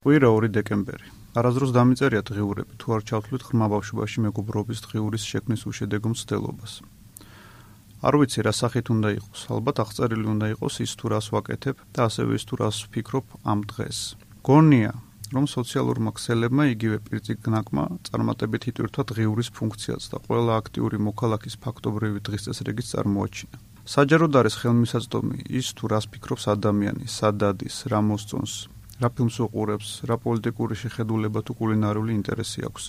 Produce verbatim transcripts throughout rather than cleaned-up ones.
კვირა ორი დეკემბერი. არასდროს დამიწერია დღიურები, თუ არ ჩავთვლით ღრმა ბავშვობაში მეგობრობის დღიურის შექმნის უშედეგო მცდელობას. არ ვიცი რა სახით უნდა იყოს, ალბათ აღწერილი უნდა იყოს ის თუ რას ვაკეთებ და ასევე ის თუ რას ვფიქრობ ამ დღეს. გონია, რომ სოციალურმა ქსელებმა იგივე პირწიგნაკმა წარმატებით იტვირთვა დღიურის ფუნქციაც და ყველა აქტიური მოქალაქის ფაქტობრივი დღესწესრიგიც წარმოაჩინა. საჯაროდ არის ხელმისაწვდომი ის თუ რას ფიქრობს ადამიანი, სად ადის, რა მოსწონს, რა ფილმს უყურებს, რა პოლიტიკური შეხედულება თუ კულინარიული ინტერესი აქვს.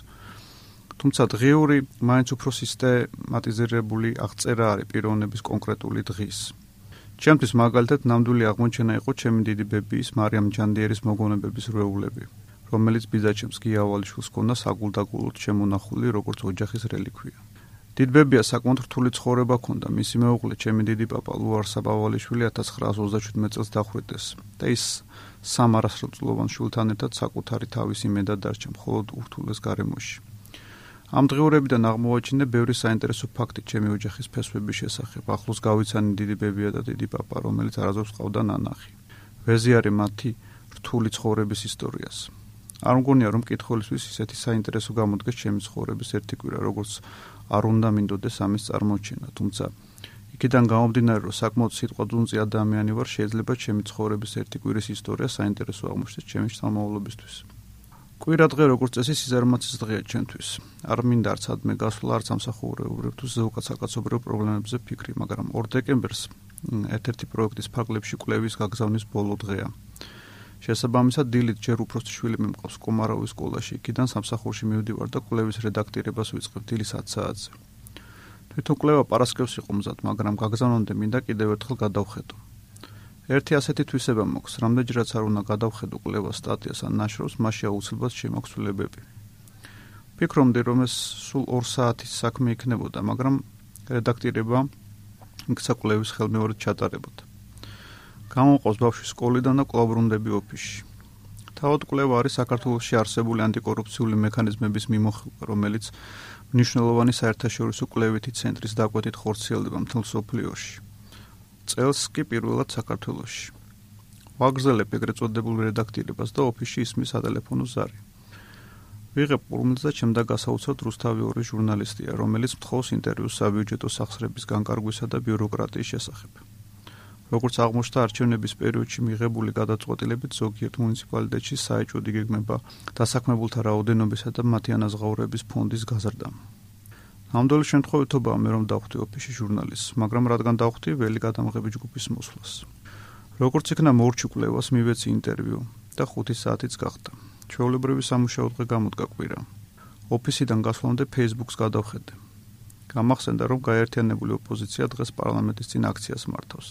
თუმცა დღიური მაინც უფრო სისტემატიზირებული აღწერა არის პიროვნების კონკრეტული დღის. ჩემთვის მაგალითად ნამდვილი აღმოჩენა იყო ჩემი დიდი ბებიის მარიამ ჯანდიერის მოგონებების რვეულები, რომელიც ბიძაჩემს გია ავალიშვილს ჰქონდა საგულდაგულოდ შემონახული როგორც ოჯახის რელიქვია. დიდბებია საკმაოდ რთული ცხოვრება ჰქონდა, მისი მეუღლე ჩემი დიდი პაპა ლუარსაბ ავალიშვილი ათას ცხრაას ოცდაშვიდმეტ წელს დახვრიტეს და ის სამ არასრულწლოვან შვილთან ერთად საკუთარი თავის იმედად დარჩა მხოლოდ ურთულეს გარემოში. ამ დღიურებიდან აღმოვაჩინე ბევრი საინტერესო ფაქტი ჩემი ოჯახის ფესვების შესახებ. ახლოს გავიცანი დიდი ბებია და დიდი პაპა, რომელიც არასდროს ყავდა ნანახი. ვეზიარე მათი რთული ცხოვრების ისტორიას. არ მგონია რომ მკითხველისთვის ისეთი საინტერესო გამოდგეს ჩემი ცხოვრების ერთი კვირა, როგორც არ უნდა მინდოდეს ამის წარმოჩენა, თუმცა იქიდან გამომდინარე, რომ საკმაოდ სიტყვადუნწი ადამიანი ვარ, შეიძლება ჩემი ცხოვრების ერთი კვირის ისტორია საინტერესო აღმოჩნდეს ჩემი შთამომავლობისთვის. კვირადღე როგორც წესი სიზარმაცის დღეა ჩემთვის. არ მინდა არც ადმე გასვლა, არც სამსახურეობრივ თუ ზოგადსაკაცობრიო პრობლემებზე ფიქრი, მაგრამ ორ დეკემბერს ერთ-ერთი პროექტის ფარგლებში კვლევის გაგზავნის ბოლო დღეა. შესაბამისად, დილით ჯერ უფროსი შვილი მიმყავს კომაროვის სკოლაში, იქიდან სამსახურში მივდივარ და კვლევის რედაქტირებას ვიწყებ დილის ათ საათზე. თვითონ კვლევა პარასკევს იყო მზად, მაგრამ გაგზავნამდე მინდა კიდევ ერთხელ გადავხედო. ერთი ასეთი თვისება მაქვს, რამდენჯერაც არ უნდა გადავხედო კვლევას სტატიას ან ნაშრომს, მაშინ აუცილებლად შემაქვს ცვლილებები. ფიქრობდი, რომ ეს სულ ორ საათის საქმე იქნებოდა, მაგრამ რედაქტირება იქცა კვლევის ხელმეორედ ჩატარებოდა. გამომყავს ბავშვი სკოლიდან და კვლავ ბრუნდები ოფისში. თავად კვლევა არის საქართველოში არსებული ანტიკორუფციული მექანიზმების მიმოხილვა, რომელიც მნიშვნელოვანი საერთაშორისო კვლევითი ცენტრის დაკვეთით ხორციელდება მთელ მსოფლიოში. წელს კი პირველად საქართველოში. ვაგრძელებ ეგრეთ წოდებულ რედაქტირებას და ოფისში ისმის სატელეფონო ზარი. ვიღებ პურმელს და ჩემდა გასაოცრად რუსთავი ორი ჟურნალისტია, რომელიც მთხოვს ინტერვიუს საბიუჯეტო სახსრების განკარგვისა და ბიუროკრატიის შესახებ. როგორც აღმოჩნდა არჩევნების პერიოდში მიღებული გადაწყვეტილებით ზოგიერთ მუნიციპალიტეტში საეჭვოდ იგეგმება დასაქმებულთა რაოდენობისა და მათი ანაზღაურების ფონდის გაზრდა. ნამდვილი შემთხვევითობაა მე რომ დავხვდი ოფისში ჟურნალისტს, მაგრამ რადგან დავხვდი ველი გადამღები ჯგუფის მოსვლას. როგორც იქნა მორჩი კვლევას მივეცი ინტერვიუ და ხუთი საათიც გახდა. ჩვეულებრივი სამუშაო დღე გამოდგა კვირა. ოფისიდან გასვლამდე Facebook-ს გადავხედე. გამახსენდა რომ გაერთიანებული ოპოზიცია დღეს პარლამენტის წინ აქციას მართავს.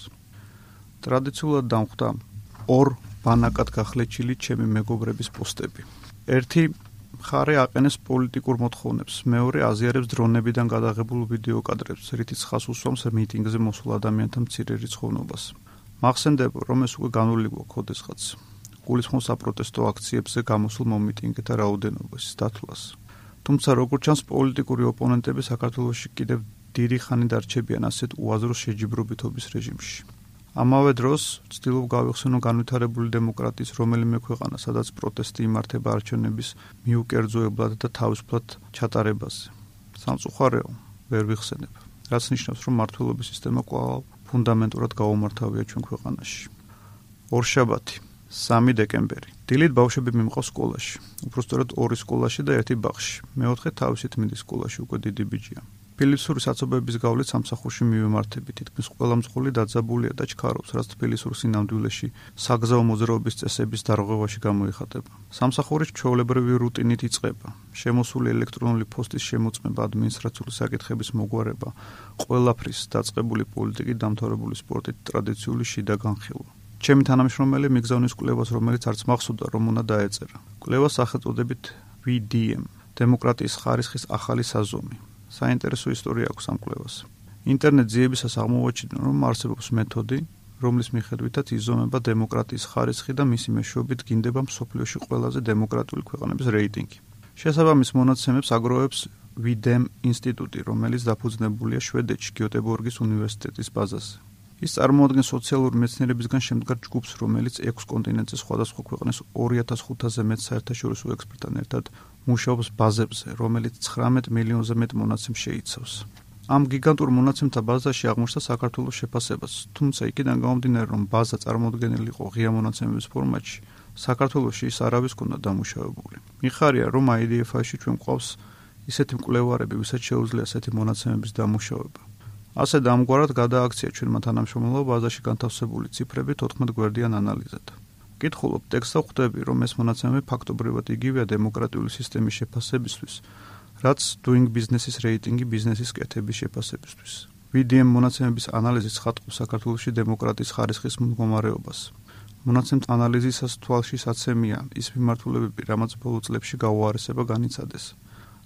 ტრადიციულად დამხვდა ორ ბანაკად გახლეჩილი ჩემი მეგობრების პოსტები. ერთი მხარე აყენებს პოლიტიკურ მოთხოვნებს, მეორე აზიარებს დრონებიდან გადაღებულ ვიდეო კადრებს, რითიც ხას უსვამს მიტინგზე მოსულ ადამიანთა მცირე რიცხოვნობას. მახსენდება, რომ ეს უკვე განული გვაქვს ოდესღაც. გულისხმობს საპროტესტო აქციებზე გამოსულ მომიტინგეთა რაოდენობას, დათვლას. თუმცა როგორც ჩანს, პოლიტიკური ოპონენტები საქართველოში კიდევ დიდი ხანი დარჩებიან ასეთ უაზრო შეჯიბრობითობის რეჟიმში. ამავე დროს ვცდილობ გავიხსენო განვითარებული დემოკრატიის რომელიმე ქვეყანა, სადაც პროტესტი იმართება არჩევნების მიუკერძოებლად და თავისუფლად ჩატარებაზე. სამწუხარეო, ვერ ვიხსენებ, რაც ნიშნავს, რომ მმართველობის სისტემა კვლავ ფუნდამენტურად გაუმართავია ჩვენ ქვეყანაში. ორშაბათი, სამი დეკემბერი. დილით ბავშვები მიმყავს სკოლაში. უпростоრად ორი სკოლაში და ერთი ბაღში. მეოთხე თავისი თმინდის სკოლაში უკვე დიდი ბიჭია. ფილისური საცობების გავლით სამსახურში მივემართები, თითქმის ყველა მძღოლი დაძაბულია და ჩქარობს, რაც თბილისურ სინამდვილეში საგზაო მოძრაობის წესების დარღვევაში გამოიხატება. სამსახური ჩვეულებრივი რუტინით იწყება. შემოსული ელექტრონული პოსტის შემოწმება, ადმინისტრაციული საკითხების მოგვარება, ყველაფრის დაწყებული პოლიტიკით, დამთავრებული სპორტით, ტრადიციული შიდა განხილვა. ჩემი თანამშრომელი მიგზავნის კვლევას, რომელიც არც მახსოვდა, რომ უნდა დაეწერა. კვლევას სახელწოდებით ვი დი ემ, დემოკრატიის ხარისხის ახალი საზომი. საინტერესო ისტორია აქვს ამ კვლევას. ინტერნეტ ძიებისას აღმოვაჩინე, რომ არსებობს მეთოდი, რომლის მიხედვითაც იზომება დემოკრატიის ხარისხი და მისი მეშვეობით გინდება მსოფლიოში ყველაზე დემოკრატიული ქვეყნების რეიტინგი. შესაბამის მონაცემებს აგროვებს ვი დი ემ ინსტიტუტი, რომელიც დაფუძნებულია შვედეთში გიოტებორგის უნივერსიტეტის ბაზაზე. ის წარმოადგენს სოციალური მეცნიერებისგან შემდგარ ჯგუფს, რომელიც ექვს კონტინენტზე სხვადასხვა ქვეყნის ორი ათას ხუთასზე მეტ საერთაშორისო ექსპერტთან ერთად მუშაობს ბაზებზე, რომელიც ცხრამეტ მილიონზე მეტ მონაცემს შეიცავს. ამ გიგანტურ მონაცემთა ბაზაში აღმოჩნდა საქართველოს შეფასებაც, თუმცა იქიდან გამომდინარე, რომ ბაზა წარმოდგენილი იყო ღია მონაცემების ფორმატში, საქართველოში ის არავის ჰქონდა დამუშავებული. მიხარია, რომ აი დი ეფ აი-ში ჩვენ გვყავს ისეთი მკვლევარები, ვისაც შეუძლია ასეთი მონაცემების დამუშავება. ასე და ამგვარად გადააქცია ჩვენმა თანამშრომლობა ბაზაში განთავსებული ციფრები თოთხმეტ გვერდიან ანალიზად. ვკითხულობ ტექსტს და ხვდები, რომ ეს მონაცემები ფაქტობრივად იგივეა დემოკრატიული სისტემის შეფასებისთვის, რაც doing business-ის რეიტინგი ბიზნესის კეთების შეფასებისთვის. ვი დი ემ მონაცემების ანალიზი ცხადყოფს საქართველოში დემოკრატიის ხარისხის მდგომარეობას. მონაცემთა ანალიზისას თვალში საცემია ის მიმართულებები, რამაც ბოლო წლებში გაუარესება განიცადეს.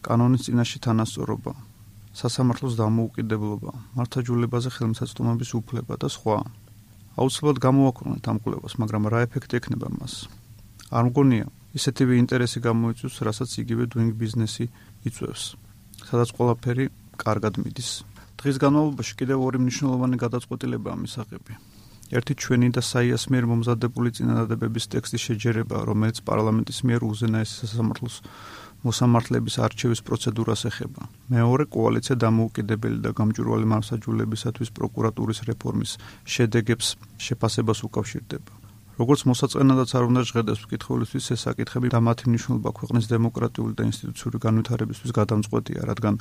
კანონის წინაშე თანასწორობა, სასამართლოს დამოუკიდებლობა, მართლმსაჯულებაზე ხელმისაწვდომობის უფლება და სხვა. აუცილებლად გამოვაქრონეთ ამ კვლევას, მაგრამ რა ეფექტი ექნება მას? არ მგონია, ისეთივე ინტერესი გამოიწვევს, რასაც იგივე doing business-ი იწვევს, სადაც ყველაფერი კარგად მიდის. დღის განმავლობაში კიდევ ორი მნიშვნელოვანი გადაწყვეტილებაა მისაღები. ერთი ჩვენი და საიას მიერ მომზადებული წინადადებების ტექსტის შეჯერება, რომელიც პარლამენტის მიერ უზენაესი სასამართლოს მოსამართლეების არჩევის პროცედურას ეხება. მეორე კოალიცია დამოუკიდებელი და გამჭვირვალე მართლმსაჯულებისათვის პროკურატურის რეფორმის შედეგებს შეფასებას უკავშირდება. როგორც მოსაწყენადაც არ უნდა ჟღერდეს მკითხველისთვის, ეს საკითხები და მათი მნიშვნელობა ქვეყნის დემოკრატიული და ინსტიტუციური განვითარებისთვის გადამწყვეტია, რადგან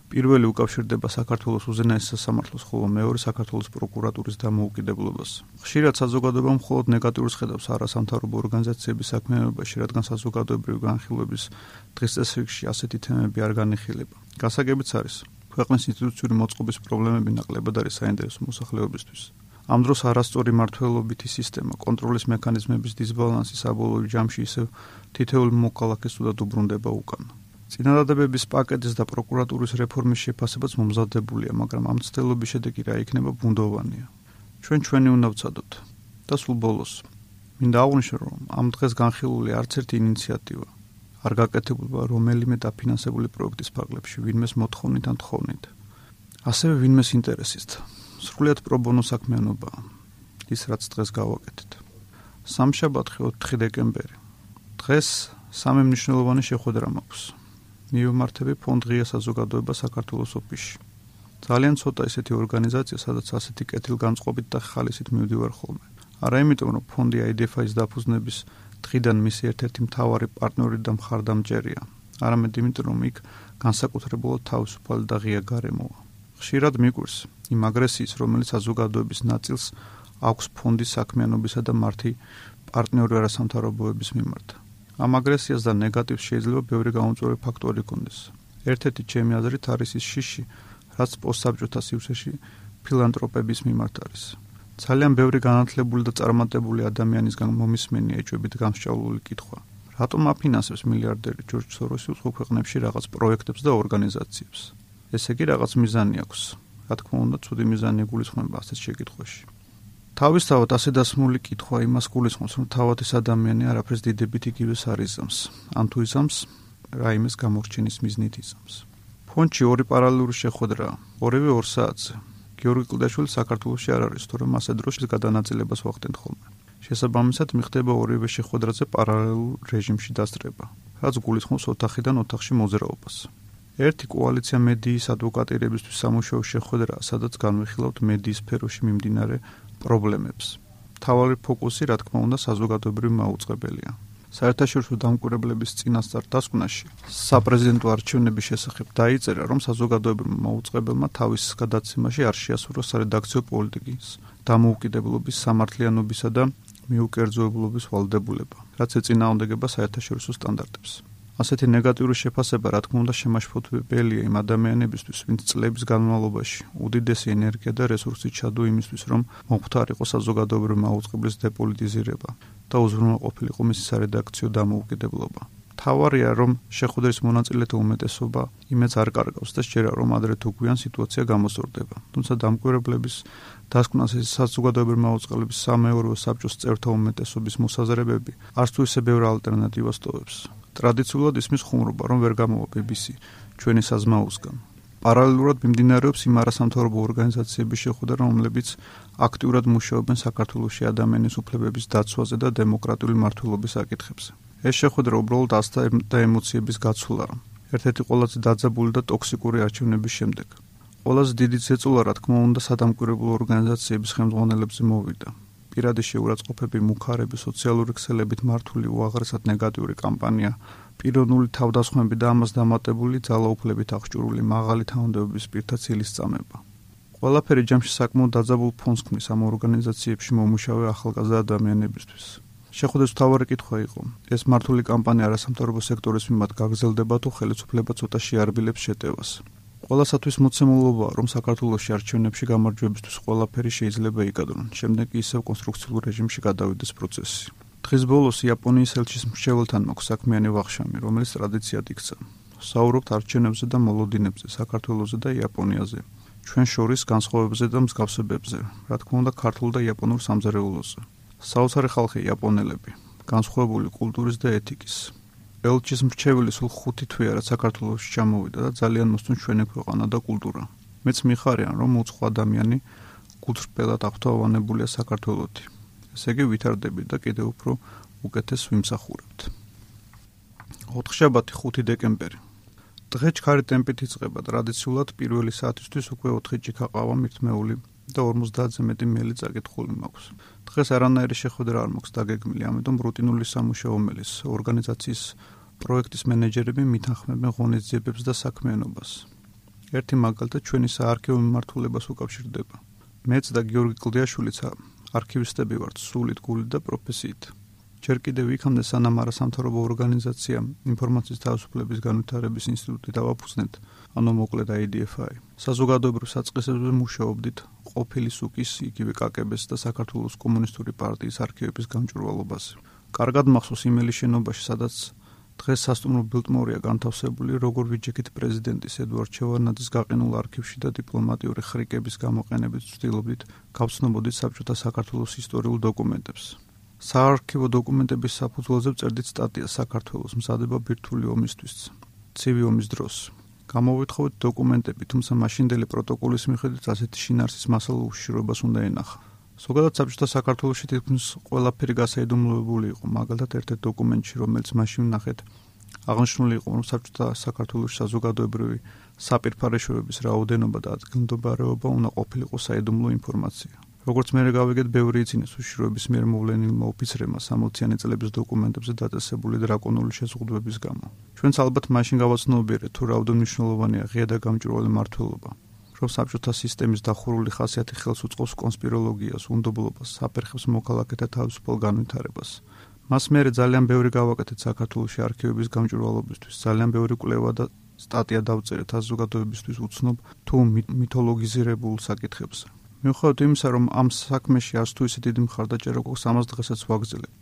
პირველი უკავშირდება საქართველოს უზენაეს სასამართლოს, ხოლო მეორე საქართველოს პროკურატურის დამოუკიდებლობას. ხშირად საზოგადოება მხოლოდ ნეგატიურს ხედავს არასამთავრობო ორგანიზაციების საქმიანობაში, რადგან საზოგადოებრივი განხილვების დღის წესრიგში ასეთი თემები არ განიხილება. გასაგებიც არის, ქვეყნის ინსტიტუციური მოწყობის პრობლემები ნაკლებად არის საინტერესო მოსახლეობისთვის. ამ დროს არასწორი მმართველობითი სისტემა, კონტროლის მექანიზმების დისბალანსი საბოლოო ჯამში ისევ თითოეულ მოქალაქეს თუდად უბრუნდება უკან. წინადადებების პაკეტის და პროკურატურის რეფორმის შეფასებაც მომზადებულია, მაგრამ ამ ცდელობის შედეგი რა იქნება ბუნდოვანია. ჩვენ ჩვენი უნდა ვცადოთ. და სულ ბოლოს, მინდა აღვნიშნო, რომ ამ დღეს განხილული არც ერთი ინიციატივა არ გაკეთებულა რომელიმე დაფინანსებული პროექტის ფარგლებში, ვინმეს მოთხოვნით ან თხოვნით. ასევე ვინმეს ინტერესით. სრულიად პრობონო საქმიანობაა, ის რაც დღეს გავაკეთეთ. სამშაბათი ოთხი დეკემბერი. დღეს სამი მნიშვნელოვანი შეხვედრა მაქვს. მივმართები ფონდ ღია საზოგადოება საქართველოს ოფისში. ძალიან ცოტა ისეთი ორგანიზაცია, სადაც ასეთი კეთილგანწყობით და ხალისით მივდივარ ხოლმე. არა იმიტომ, რომ ფონდი აი დი ეფ აის დაფუძნების დღიდან მისი ერთ-ერთი მთავარი პარტნიორი და მხარდამჭერია, არამედ იმიტომ, რომ იქ განსაკუთრებულად თავისუფალი და ღია გარემოა. ხშირად მიგვირს იმ აგრესიის, რომელიც საზოგადოების ნაწილს აქვს ფონდის საქმიანობისა და მართი პარტნიორი არასამთავრობოების მიმართ. ამ აგრესიას და ნეგატივს შეიძლება ბევრი გამომწვევი ფაქტორი ჰქონდეს. ერთ-ერთი ჩემი აზრით არის ის შიში, რაც პოსტსაბჭოთა სივრცეში ფილანტროპების მიმართ არის. ძალიან ბევრი განათლებული და წარმატებული ადამიანისგან მომისმენია ეჭვებით გამსჭავლული კითხვა. რატომ აფინანსებს მილიარდერი ჯორჯ სოროსი უცხო ქვეყნებში რაღაც პროექტებს და ორგანიზაციებს? ესე იგი რაღაც მიზანი აქვს. რა თქმა უნდა, ცუდი მიზანი იგულისხმება ასეთ შეკითხვაში. თავისთავად ასე დასმული კითხვა იმას გულისხმობს, რომ თავად ეს ადამიანი არაფერს დიდებით იგივეს არ იზამს, ან თუ იზამს, რაიმეს გამორჩენის მიზნით იზამს. ფონდში ორი პარალელური შეხვედრაა, ორივე ორ საათზე. გიორგი კლდაშვილი საქართველოში არ არის, თორემ ასე დროს გადანაწილებას ვახდენთ ხოლმე. შესაბამისად, მიხდება ორივე შეხვედრაზე პარალელურ რეჟიმში დასწრება, რაც გულისხმობს ოთახიდან ოთახში მოძრაობას. ერთი კოალიცია მედიის ადვოკატირებისთვის სამუშაო შეხვედრაა, სადაც განვიხილავთ მედიის სფეროში მიმდინარე პრობლემებს. მთავარი ფოკუსი, რა თქმა უნდა, საზოგადოებრივი მაუწყებელია. საერთაშორისო დამკვირვებლების წინასწარ დასკვნაში საპრეზიდენტო არჩევნების შესახებ დაიწერა, რომ საზოგადოებრივმა მაუწყებელმა თავის გადაცემაში არ შეასრულა სარედაქციო პოლიტიკის, დამოუკიდებლობის, სამართლიანობისა და მიუკერძოებლობის ვალდებულება, რაც ეწინააღმდეგება საერთაშორისო სტანდარტებს. ასეთი ნეგატიური შეფასება, რა თქმა უნდა, შემაშფოთებელია იმ ადამიანებისთვის, ვინც წლების განმავლობაში უდიდესი ენერგია და რესურსი ჩადო იმისთვის, რომ მომხდარიყო საზოგადოებრივი მაუწყებლის დეპოლიტიზირება და უზრუნველყოფილიყო მისი სარედაქციო დამოუკიდებლობა. მთავარია, რომ შეხვედრის მონაწილეთა უმეტესობა იმედს არ კარგავს და სჯერა, რომ ადრე თუ გვიან სიტუაცია გამოსწორდება. თუმცა დამკვირვებლების დასკვნას ეს საზოგადოებრივი მაუწყებლობის სამეურვეო საბჭოს წევრთა უმეტესობის მოსაზრებები არც თუ ისე ბევრ ალტერნატივას ტოვებს. ტრადიციულად ისმის ხუმრობა, რომ ვერ გამოვა ბი ბი სი ჩვენი საზმაოსგან. პარალელურად მიმდინარეობს იმ არასამთავრობო ორგანიზაციების შეხვედრა, რომლებიც აქტიურად მუშაობენ საქართველოში ადამიანის უფლებების დაცვაზე და დემოკრატიული მმართველობის საკითხებზე. ეს შეხვედრა უბრალოდ ასთა და ემოციების გაცვლაა. ერთ-ერთი ყველაზე დაძაბული და ტოქსიკური არჩევნების შემდეგ. ყველაზე დიდი ზეწოლა, რა თქმა უნდა, სადამკვირვებლო ორგანიზაციების ხელმძღვანელებზე მოვიდა. პირადი შეურაცხყოფები, მუხარები, სოციალური ქსელებით მართული უაღრესად ნეგატიური კამპანია, პიროვნული თავდასხმები და ამას დამატებული ძალაუფლებით აღჭურვილი მაღალი თანამდებობის პირთა ცილის წამება. ყველაფერი ჯამში საკმაოდ დაძაბულ ფონს ქმნის ამ ორგანიზაციებში მომუშავე ახალგაზრდა ადამიანებისთვის. შეხვედრის მთავარი კითხვა იყო: ეს მართული კამპანია არასამთავრობო სექტორის მიმართ გაგრძელდება თუ ხელისუფლება ცოტა შეარბილებს შეტევას. ყველასათვის მოცემულობაა, რომ საქართველოში არჩევნებში გამარჯვებისთვის ყველაფერი შეიძლება იკადრონ, შემდეგ კი ისევ კონსტრუქციულ რეჟიმში გადავიდეს პროცესი. დღის ბოლოს იაპონიის ელჩის მრჩეველთან მაქვს საქმიანი ვახშამი, რომელიც ტრადიციად იქცა. საუბრობთ არჩევნებზე და მოლოდინებზე, საქართველოზე და იაპონიაზე, ჩვენ შორის განსხვავებებზე და მსგავსებებზე, რა თქმა უნდა, ქართულ და იაპონურ სამზარეულოზე. საოცარი ხალხი იაპონელები, განსხვავებული კულტურის და ეთიკის. ელჩის მრჩეველი სულ ხუთი თვეა, რაც საქართველოში ჩამოვიდა და ძალიან მოსწონს ჩვენი ქვეყანა და კულტურა. მეც მიხარიან, რომ უცხო ადამიანი გულწრფელად აღფრთოვანებულია საქართველოში. ესე იგი ვითარდები და კიდევ უფრო უკეთეს ვიმსახურებთ. ოთხშაბათი ხუთი დეკემბერი. დღე ჩქარი ტემპით იწყება, ტრადიციულად პირველი საათისთვის უკვე ოთხი ჭიქა ყავა მირთმეული და ორმოცდაათზე მეტი მელი წაკითხული მაქვს. დღეს არანაირი შეხვედრა არ მაქვს დაგეგმილი, ამიტომ რუტინული სამუშაო მელის ორგანიზაციის პროექტის მენეჯერები მითანხმებენ ღონისძიებებს და საქმიანობას. ერთი მაგალითად ჩვენი საარქივო მიმართულებას უკავშირდება. მეც და გიორგი კლდიაშვილიც არქივისტები ვართ სულით, გულით და პროფესიით. ჯერ კიდევ იქამდე სანამ არასამთავრობო ორგანიზაცია ინფორმაციის თავისუფლების განვითარების ინსტიტუტი დავაფუძნეთ, ანუ მოკლედ აი დი ეფ აი. საზოგადოებრივ საწყისებზე მუშაობდით ყოფილი სუკის, იგივე კა კე ბეს და საქართველოს კომუნისტური პარტიის არქივების გამჭვირვალობაზე. კარგად მახსოვს იმელი შენობაში, სადაც დღეს სასტუმრო ბილტმორია განთავსებული, როგორ ვიჯექით პრეზიდენტის ედუარდ შევარდნაძის გაყინულ არქივში და დიპლომატიური ხრიკების გამოყენებით ვცდილობდით გავცნობოდით საბჭოთა საქართველოს ისტორიულ დოკუმენტებს. საარქივო დოკუმენტების საფუძველზე ვწერდით სტატიას საქართველოს მზადება ბირთვული ომისთვის, ცივი ომის დროს. გამოვითხოვეთ დოკუმენტები, თუმცა მაშინდელი პროტოკოლის მიხედვით ასეთი შინაარსის მასალა უშიშროებას უნდა ენახა. ზოგადად საბჭოთა საქართველოში თითქმის ყველაფერი გასაიდუმლოებული იყო, მაგალითად ერთ-ერთ დოკუმენტში, რომელიც მაშინ ვნახეთ, აღნიშნული იყო, რომ საბჭოთა საქართველოში საზოგადოებრივი საპირფარეშოების რაოდენობა და ადგილმდებარეობა უნდა ყოფილიყო საიდუმლო ინფორმაცია. როგორც მე გავიგეთ, ბევრი იცინეს უშიშროების მიერ მოვლენილმა ოფიცრებმა სამოციანი წლების დოკუმენტებზე დაწესებული დრაკონული შეზღუდვების გამო. ჩვენც ალბათ მაშინ გავაცნობიერეთ, თუ რაოდენ მნიშვნელოვანია ღია და გამჭვირვალე მმართველობა, რომ საბჭოთა სისტემის დახურული ხასიათი ხელს უწყობს კონსპიროლოგიას, უნდობლობას, საფერხებს მოქალაქეთა თავისუფალ განვითარებას. მას მერე ძალიან ბევრი გავაკეთეთ საქართველოში არქივების გამჭვირვალობისთვის, ძალიან ბევრი კვლევა და სტატია დავწერეთ საზოგადოებისთვის უცნობ თუ მითოლოგიზირებულ საკითხებზე. მიუხედავად იმისა, რომ ამ საქმეში არც თუ ისე დიდი მხარდაჭერა გვაქვს, ამას დღესაც ვაგრძელებთ.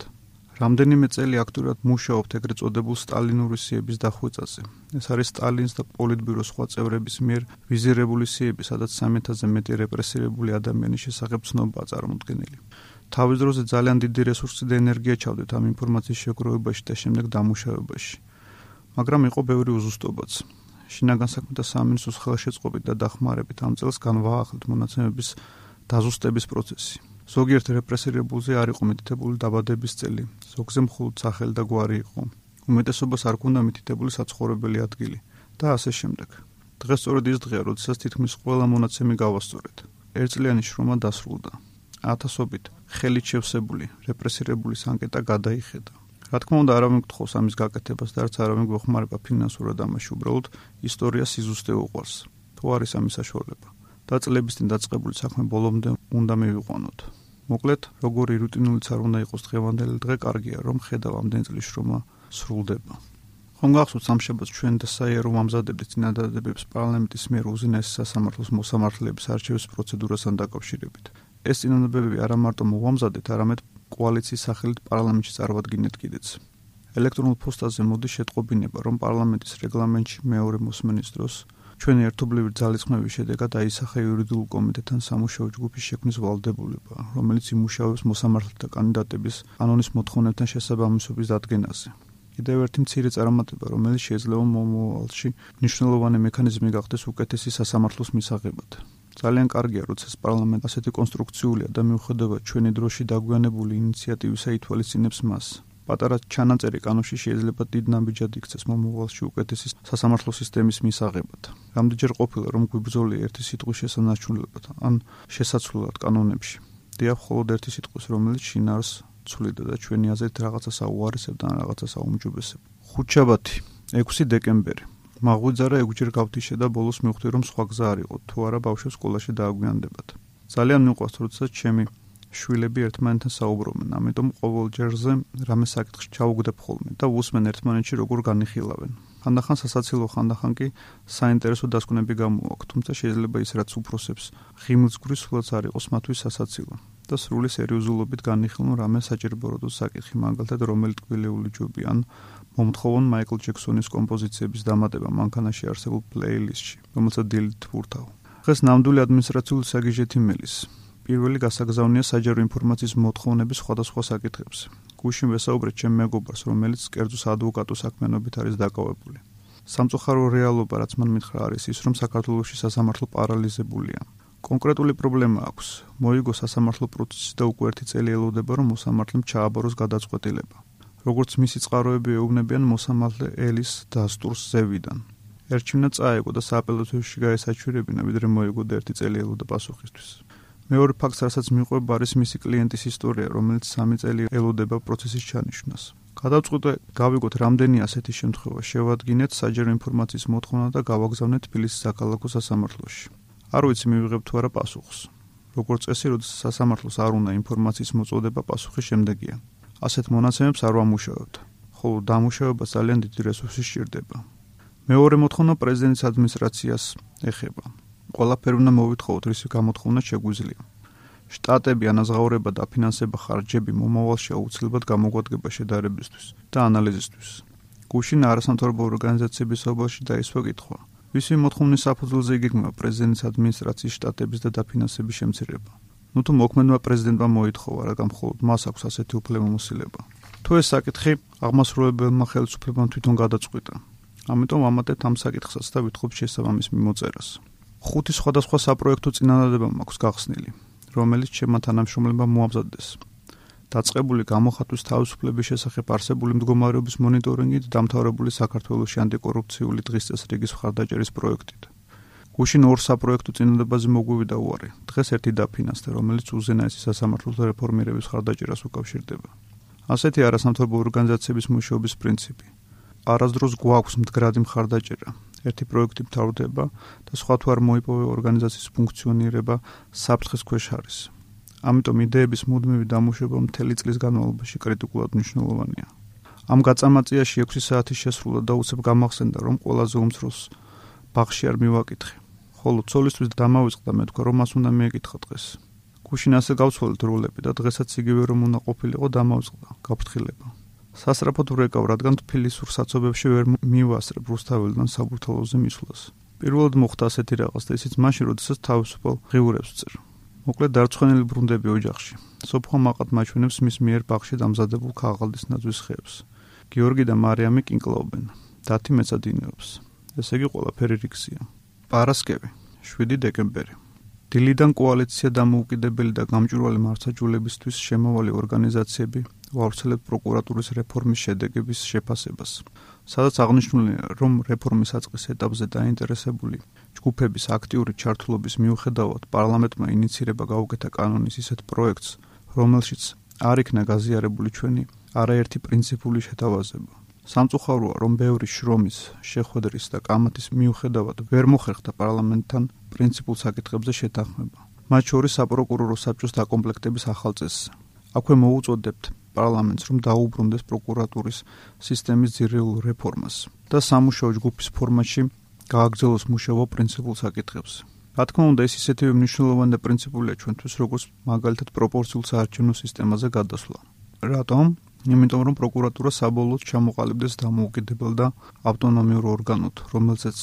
რამდენიმე წელი აქტიურად მუშაობთ ეგრეთ წოდებულ სტალინური სიების დახვეწაზე. ეს არის სტალინის და პოლიტბიუროს სხვა წევრების მიერ ვიზირებული სიები, სადაც სამი ათასზე მეტი რეპრესირებული ადამიანის შესახებ ცნობაა წარმოდგენილი. თავის დროზე ძალიან დიდი რესურსი და ენერგია ჩავდეთ ამ ინფორმაციის შეგროვებაში და შემდეგ დამუშავებაში. მაგრამ იყო ბევრი უზუსტობაც. შინაგან საქმეთა სამინისტროს ხელშეწყობით და დახმარებით ამ წელს განვაახლეთ მონაცემების დაზუსტების პროცესი. ზოგიერთ რეპრესირებულზე არ იყო მითითებული დაბადების წელი, ზოგზე მხოლოდ სახელი და გვარი იყო. უმეტესობას არ ქონდა მითითებული საცხოვრებელი ადგილი და ასე შემდეგ. დღეს სწორედ ის დღეა, როდესაც თითქმის ყველა მონაცემი გავასწორეთ. ერთწლიანი შრომა დასრულდა. ათასობით ხელით შევსებული რეპრესირებულის ანკეტა გადაიხედა. რა თქმა უნდა, არავინ გთხოვს ამის გაკეთებას და არც არავინ გვეხმარება ფინანსურად ამაში, უბრალოდ ისტორია სიზუსტე უყვარს. თუ არის ამის საშუალება და წლების წინ დაწყებული საქმე ბოლომდე უნდა მივიყვანოთ. მოკლედ, როგორი რუტინულიც არ უნდა იყოს დღევანდელი დღე, კარგია, რომ ხედავ ამდენი წლის შრომა სრულდება. ხომ გახსოვთ სამშაბათს ჩვენ და საიარო ვამზადებდით წინადადებებს პარლამენტის მიერ უზენაესი სასამართლოს მოსამართლეების არჩევის პროცედურასთან დაკავშირებით. ეს წინადადებები არა მარტო მოვამზადეთ, არამედ კოალიციის სახელით პარლამენტში წარვადგინეთ კიდეც. ელექტრონულ პოსტაზე მოდის შეტყობინება, რომ პარლამენტის რეგლამენტში მეორე მოსმენის დროს ჩვენი ერთობლივი ძალისხმევის შედეგად აისახა იურიდიულ კომიტეტთან სამუშაო ჯგუფის შექმნის ვალდებულება, რომელიც იმუშავებს მოსამართლეთა კანდიდატების კანონის მოთხოვნებთან შესაბამისობის დადგენაზე. კიდევ ერთი მცირე წარმატება, რომელიც შეიძლება მომავალში მნიშვნელოვანი მექანიზმი გახდეს უკეთესი სასამართლოს მისაღებად. ძალიან კარგია, როცა პარლამენტი ასეთი კონსტრუქციულია და მიუხედავად ჩვენი დროში დაგვიანებული ინიციატივისა ითვალისწინებს მას. პატარა ჩანაწერი კანონში შეიძლება დიდ ნაბიჯად იქცეს მომავალში უკეთესი სასამართლო სისტემის მისაღებად. რამდენჯერ ყოფილა რომ გვიბრძოლია ერთი სიტყვის შესანარჩუნებლად ან შესაცვლელად კანონებში. დიახ, მხოლოდ ერთი სიტყვის, რომელიც შინაარსს ცვლიდა და ჩვენი აზრით რაღაცა საუარესებდა ან რაღაცა საუმჯობესებდა. ხუთშაბათი, ექვსი დეკემბერი. მაღვიძარა ექვსჯერ გავთიშე და ბოლოს მივხვდი რომ სხვა გზა არ იყო, თუ არა ბავშვებს სკოლაში დააგვიანდებათ. ძალიან მიყვარს, როცა ჩემი შვილები ერთმანეთთან საუბრობენ, ამიტომ ყოველ ჯერზე რამე საკითხში ჩავუგდებ ხოლმე და ვუსმენ ერთმანეთში როგორ განიხილავენ. ხანდახან სასაცილო, ხანდახან კი საინტერესო დასკვნები გამოაქვთ, თუმცა შეიძლება ის რაც უფროსებს ღიმილს გვრის, სულაც არ იყოს მათთვის სასაცილო და სრული სერიოზულობით განიხილონ რამე საჭიროებადო საკითხი, მაგალითად რომელი ტკბილეული ჯობი ან მომთხოვონ მაიკლ ჯექსონის კომპოზიციების დამატება მანქანაში არსებულ პლეილისტში, რომელსაც დილით ვურთავ. დღეს ნამდვილი ადმინისტრაციული საგიჟეთი მელის. პირველი გასაგზავნია საჯარო ინფორმაციის მოთხოვნების სხვადასხვა საკითხებზე. გუშინ ვესაუბრეთ ჩემ მეგობარს, რომელიც კერძო საადვოკატო საქმიანობით არის დაკავებული. სამწუხარო რეალობა, რაც მან მითხრა, არის ის, რომ საქართველოში სასამართლო პარალიზებულია. კონკრეტული პრობლემა აქვს. მოიგო სასამართლო პროცესი და უკვე ერთი წელი ელოდება, რომ მოსამართლემ ჩააბაროს გადაწყვეტილება. როგორც მისი წყაროები ეუბნებიან, მოსამართლე ელის დასტურს ზევიდან. ერჩივნა წაეგო და სააპელაციოში გაესაჩვირებინა, ვიდრე მოიგო და ერთი წელი ელოდა პასუხისთვის. მეორე ფაქტს, რასაც მიყვება, არის მისი კლიენტის ისტორია, რომელიც სამი წელი ელოდება პროცესის ჩანიშვნას. გადავწყვიტე, გავიგოთ რამდენი ასეთი შემთხვევა, შევადგინეთ საჯარო ინფორმაციის მოთხოვნა და გავაგზავნეთ თბილისის საქალაქო სასამართლოში. არ ვიცი მივიღებ თუ არა პასუხს. როგორც წესი, როდესაც სასამართლოს არ უნდა ინფორმაციის მოწოდება, პასუხი შემდეგია. ასეთ მონაცემებს არ ვამუშავებთ, ხოლო დამუშავება ძალიან დიდი რესურსი სჭირდება. მეორე მოთხოვნა პრეზიდენტის ადმინისტრაციას ეხება. ყველაფერი უნდა მოვითხოვოთ, რის გამოთხოვნა შეგვიძლია. შტატები, ანაზღაურება და ფინანსება ხარჯები მომავალში აუცილებლად გამოგვადგება შედარებისთვის და ანალიზისთვის. გუშინ არასამთავრობო ორგანიზაციების საუბარში დაისვა კითხვა. ვისი მოთხოვნის საფუძველზე იგეგმება პრეზიდენტის ადმინისტრაციის შტატების და დაფინანსების შემცირება. ნუ თუ მოქმედმა პრეზიდენტმა მოითხოვა, რადგან მხოლოდ მას აქვს ასეთი უფლებამოსილება. თუ ეს საკითხი აღმასრულებელმა ხელისუფლებამ თვითონ გადაწყვიტა. ამიტომ ვამატებთ ამ საკითხსაც და ვითხოვთ შესაბამის მიმოწერას. ხუთი სხვადასხვა საპროექტო წინადადება მაქვს გახსნილი, რომელიც ჩემმა თანამშრომლებმა მოამზადეს. დაწყებული გამოხატვის თავისუფლების შესახებ არსებული მდგომარეობის მონიტორინგით და დამთავრებული საქართველოში ანტიკორუფციული დღის წესრიგის მხარდაჭერის პროექტით. გუშინ ორ საპროექტო წინადებაზე მოგვივიდა უარი. დღეს ერთი დაფინანსდა, რომელიც უზენაესი სასამართლოთა რეფორმირების მხარდაჭერას უკავშირდება. ასეთი არასამთავრობო ორგანიზაციების მუშაობის პრინციპი. არასდროს გვაქვს მდგრადი მხარდაჭერა. ერთი პროექტი მთავრდება და სხვა თუ არ მოიპოვე ორგანიზაციის ფუნქციონირება საფრთხის ქვეშ არის. ამიტომ იდეების მუდმივი დამუშავება მთელი წლის განმავლობაში კრიტიკულად მნიშვნელოვანია. ამ გაწამაწიაში ექვსი საათი შესრულა და უცებ გამახსენდა, რომ ყველაზე უმცროს ბაღში არ მივაკითხე. ხოლო ცოლისთვის დამავიწყდა, მე თქვა, რომ მას უნდა მიეკითხა დღეს. გუშინ ასე გავცვალეთ როლები და დღესაც იგივე რომ უნდა ყოფილიყო, დამავიწყდა, გაფრთხილება. სასწრაფოდ ვრეკავ, რადგან თბილისურ საცობებში ვერ მივასწრებ რუსთაველიდან საბურთალოზე მისვლას. პირველად მოხდა ასეთი რაღაც და ისიც მაშინ, როდესაც თავისუფალ ღიურებს ვწერ. მოკლედ დარწმუნებული ბრუნდები ოჯახში. სოფხო მაყად მაჩვენებს მის მიერ ბაღში დამზადებულ ქაღალდის ნაძვის ხეებს. გიორგი და მარიამი კინკლაობენ. დათი მეცადინეობს. ესე იგი ყველაფერი რიგზია. პარასკევი, შვიდი დეკემბერი. დილიდან კოალიცია დამოუკიდებელი და გამჭვირვალე მართლმსაჯულებისთვის შემავალი ორგანიზაციები ვავრცელებთ პროკურატურის რეფორმის შედეგების შეფასებას. სადაც აღნიშნულია, რომ რეფორმის საწყის ეტაპზე დაინტერესებული ჯგუფების აქტიური ჩართულობის მიუხედავად პარლამენტმა ინიცირება გაუკეთა კანონის ისეთ პროექტს, რომელშიც არ იქნა გაზიარებული ჩვენი არაერთი პრინციპული შეთავაზება. სამწუხაროა, რომ ბევრი შრომის, შეხვედრის და კამათის მიუხედავად ვერ მოხერხდა პარლამენტთან პრინციპულ საკითხებზე შეთანხმება. მათ შორის საპროკურორო საბჭოს დაკომპლექტების ახალ წესზე. აქვე მოუწოდებთ პარლამენტს, რომ დაუბრუნდეს პროკურატურის სისტემის ძირეულ რეფორმას და სამუშაო ჯგუფის ფორმატში გააგრძელოს მუშაობა პრინციპულ საკითხებზე. რა თქმა უნდა, ეს ისეთივე მნიშვნელოვანი და პრინციპულია ჩვენთვის, როგორც მაგალითად პროპორციულ საარჩევნო სისტემაზე გადასვლა. რატომ? იმიტომ რომ პროკურატურა საბოლოოდ ჩამოყალიბდეს დამოუკიდებელ და ავტონომიურ ორგანოდ, რომელზეც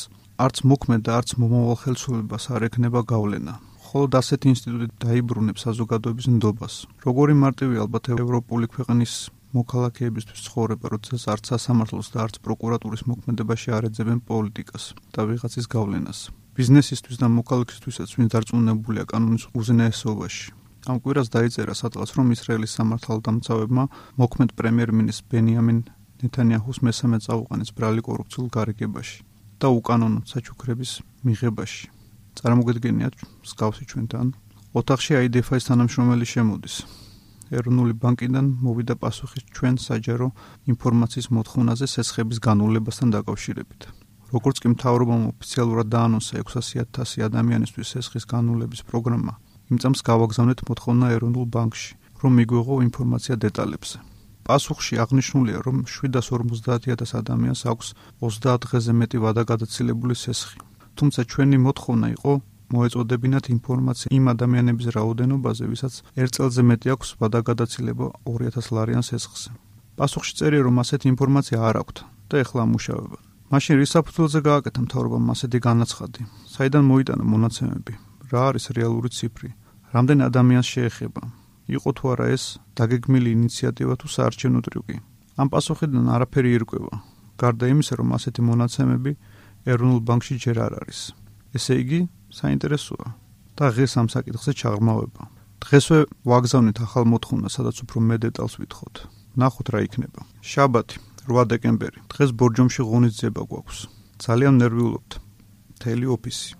არც მოქმედ და არც მომავალ ხელისუფლებას არ ექნება გავლენა. ხოლო ასეთი ინსტიტუტი დაიბრუნებს საზოგადოების ნდობას. როგორი მარტივი ალბათ ევროპული ქვეყნის მოქალაქეებისთვის ცხოვრება, როდესაც არც სასამართლოს და არც პროკურატურის მოქმედებაში არ ეძებენ პოლიტიკას და ვიღაცის გავლენას. ბიზნესისთვის და მოქალაქისთვისაც ვინც დარწმუნებულია კანონის უზენაესობაში. ამ კვირას დაიწერა სადღაც, რომ ისრაელის სამართალდამცავებმა მოქმედ პრემიერ-მინისტრ ბენიამინ ნეთანიაჰუს მესამე წაუყენეს ბრალი კორუფციულ გარიგებაში და უკანონო საჩუქრების მიღებაში. წარმოგედგენიათ მსგავსი ჩვენთან. ოთახში აი დი ეფ-ის თანამშრომელი შემოდის. ეროვნული ბანკიდან მოვიდა პასუხი ჩვენ საჯარო ინფორმაციის მოთხოვნაზე სესხების განულებასთან დაკავშირებით. როგორც კი მთავრობამ ოფიციალურად დაანონსა ექვსასი ათასი ადამიანისთვის სესხის განულების პროგრამა, იმ წამს გავაგზავნეთ მოთხოვნა ეროვნულ ბანკში, რომ მიგვიღო ინფორმაცია დეტალებზე. პასუხში აღნიშნულია, რომ შვიდას ორმოცდაათი ათას ადამიანს აქვს ოცდაათ დღეზე მეტი ვადაგადაცილებული სესხი. თუმცა ჩვენი მოთხოვნა იყო მოეწოდებინათ ინფორმაცია იმ ადამიანების რაოდენობაზე, ვისაც ერთ წელზე მეტი აქვს ვადაგადაცილება ორი ათას ლარიან სესხზე. პასუხში წერია, რომ ასეთი ინფორმაცია არ აქვთ და ეხლა ამუშავებენ. მაშინ რის საფუძველზე გააკეთა მთავრობამ ასეთი განაცხადი? საიდან მოიტანა მონაცემები? რა არის რეალური ციფრი? რამდენ ადამიანს შეეხება? იყო თუ არა ეს დაგეგმილი ინიციატივა თუ საარჩევნო ტრიუკი? ამ პასუხიდან არაფერი ირკვევა. გარდა იმისა, რომ ასეთი მონაცემები ეროვნულ ბანკში ჯერ არ არის. ესე იგი, საინტერესოა და ღირს ამ საკითხზე ჩაღრმავება. დღესვე ვაგზავნით ახალ მოთხოვნას, სადაც უფრო მეტ დეტალს ვითხოვთ. ნახოთ რა იქნება. შაბათი, რვა დეკემბერი. დღეს ბორჯომში ღონისძიება გვაქვს. ძალიან ნერვიულობთ. მთელი ოფისი.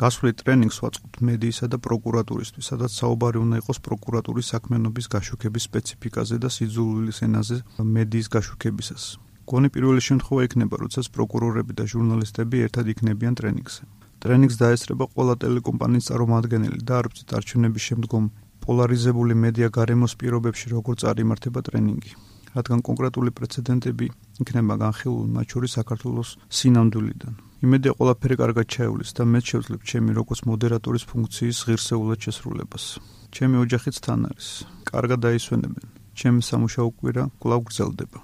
გასვლით ტრენინგს ვაწყობთ მედიისა და პროკურატურისთვის, სადაც საუბარი უნდა იყოს პროკურატურის საქმიანობის გაშუქების სპეციფიკაზე და სიძულვილის ენაზე მედიის გაშუქებისას. გონი პირველი შემთხვევა იქნება, როდესაც პროკურორები და ჟურნალისტები ერთად იქნებიან ტრენინგზე. ტრენინგს დაესწრება ყველა ტელეკომპანიის წარმომადგენელი და არ ვწით არჩევნების შემდგომ პოლარიზებული მედია გარემოს პირობებში როგორ წარიმართება ტრენინგი. რადგან კონკრეტული პრეცედენტები იქნება განხილული, მათ შორის საქართველოს სინამდვილიდან. იმედია ყველაფერი კარგად ჩაივლის და მეც შევძლებ ჩემი როგორც მოდერატორის ფუნქციის ღირსეულად შესრულებას. ჩემი ოჯახიც თან არის. კარგად დაისვენებენ. ჩემი სამუშაო კვირა კვლავ გრძელდება.